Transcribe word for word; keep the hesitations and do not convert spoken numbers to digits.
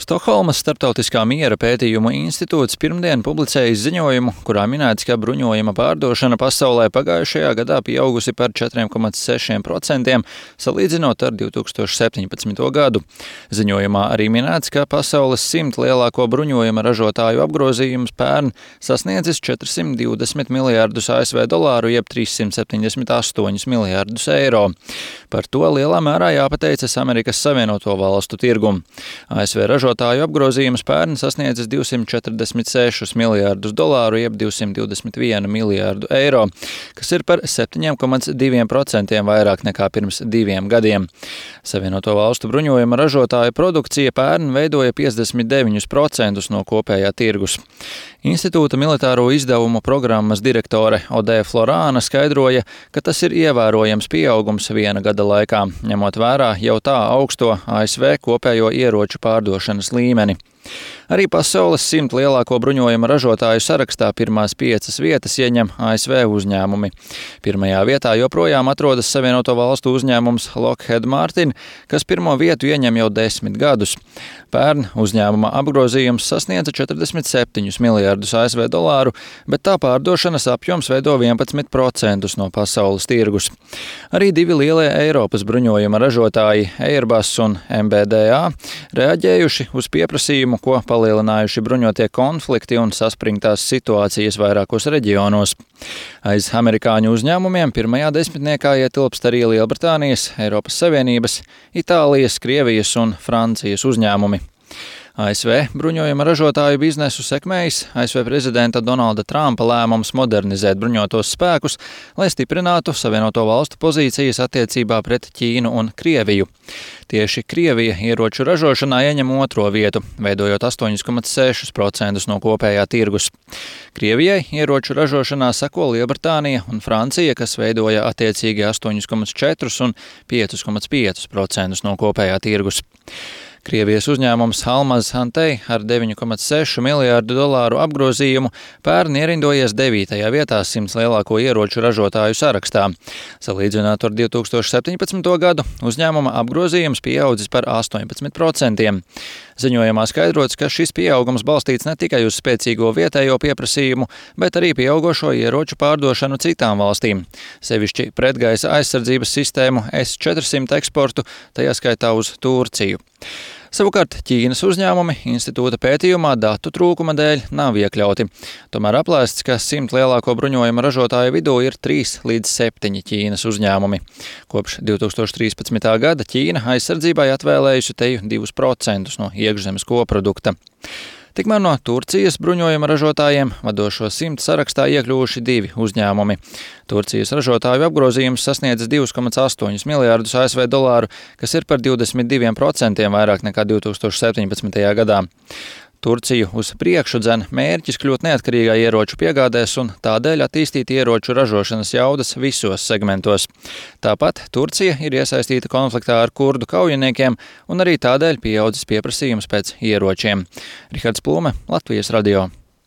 Stokholmas Starptautiskā miera pētījumu institūts pirmdien publicējis ziņojumu, kurā minēts, ka bruņojuma pārdošana pasaulē pagājušajā gadā pieaugusi par četri komats seši procenti, salīdzinot ar divi tūkstoši septiņpadsmito gadu. Ziņojumā arī minēts, ka pasaules simt lielāko bruņojuma ražotāju apgrozījums pērn sasniedzis četrsimt divdesmit miljārdus A S V dolāru, jeb trīssimt septiņdesmit astoņus miljārdus eiro. Par to lielā mērā jāpateicas Amerikas Savienoto Valstu tirgum. A S V ražotāju apgrozījums pērn sasniedzis divsimt četrdesmit sešus miljārdus dolāru, jeb divsimt divdesmit vienu miljārdu eiro, kas ir par septiņi komats divi procenti vairāk nekā pirms diviem gadiem. Savienoto Valstu bruņojuma ražotāju produkcija pērn veidoja piecdesmit deviņus procentus no kopējā tirgus. Institūta militāro izdevumu programmas direktore Odē Florāna skaidroja, ka tas ir ievērojams pieaugums viena gada laikā, ņemot vērā jau tā augsto A S V kopējo ieroču pārdošanas līmeni. Arī pasaules simt lielāko bruņojuma ražotāju sarakstā pirmās piecas vietas ieņem A S V uzņēmumi. Pirmajā vietā joprojām atrodas Savienoto Valstu uzņēmums Lockheed Martin, kas pirmo vietu ieņem jau desmit gadus. Pērn uzņēmuma apgrozījums sasniedza četrdesmit septiņus miljārdus A S V dolāru, bet tā pārdošanas apjoms veido vienpadsmit procentus no pasaules tirgus. Arī divi lielie Eiropas bruņojuma ražotāji Airbus un M B D A reaģējuši uz pieprasījumu, ko palielinājuši bruņotie konflikti un saspringtās situācijas vairākos reģionos. Aiz amerikāņu uzņēmumiem pirmajā desmitniekā ietilpst arī Lielbritānijas, Eiropas Savienības, Itālijas, Krievijas un Francijas uzņēmumi. A S V bruņojuma ražotāju biznesu sekmējis A S V prezidenta Donalda Trumpa lēmums modernizēt bruņotos spēkus, lai stiprinātu Savienoto Valstu pozīcijas attiecībā pret Ķīnu un Krieviju. Tieši Krievija ieroču ražošanā ieņem otro vietu, veidojot astoņi komats seši procenti no kopējā tirgus. Krievijai ieroču ražošanā seko Lielbritānija un Francija, kas veidoja attiecīgi astoņi komats četri un pieci komats pieci procenti no kopējā tirgus. Krievijas uzņēmums Almaz Antey ar deviņi komats seši miljārdu dolāru apgrozījumu pērn ierindojies devītajā vietā simts lielāko ieroču ražotāju sarakstā. Salīdzinot ar divi tūkstoši septiņpadsmito gadu, uzņēmuma apgrozījums pieaudzis par astoņpadsmit procentiem. Ziņojumā skaidrots, ka šis pieaugums balstīts ne tikai uz spēcīgo vietējo pieprasījumu, bet arī pieaugošo ieroču pārdošanu citām valstīm, sevišķi pretgaisa aizsardzības sistēmu S četrsimt eksportu, tajā skaitā uz Turciju. Savukārt Ķīnas uzņēmumi institūta pētījumā datu trūkuma dēļ nav iekļauti. Tomēr aplēsts, ka simt lielāko bruņojuma ražotāju vidū ir trīs līdz septiņi Ķīnas uzņēmumi. Kopš divi tūkstoši trīspadsmitā gada Ķīna aizsardzībai atvēlējusi teju divus procentus no iekšzemes koprodukta. Tikmēr no Turcijas bruņojuma ražotājiem vadošo simt sarakstā iekļuvuši divi uzņēmumi. Turcijas ražotāju apgrozījums sasniedzis divi komats astoņi miljārdus A S V dolāru, kas ir par divdesmit diviem procentiem vairāk nekā divi tūkstoši septiņpadsmitajā gadā. Turciju uz priekšu dzen mērķis kļūt neatkarīgai ieroču piegādēs un tādēļ attīstīt ieroču ražošanas jaudas visos segmentos. Tāpat Turcija ir iesaistīta konfliktā ar kurdu kaujiniekiem un arī tādēļ pieaudzis pieprasījums pēc ieročiem. Rihards Plūme, Latvijas radio.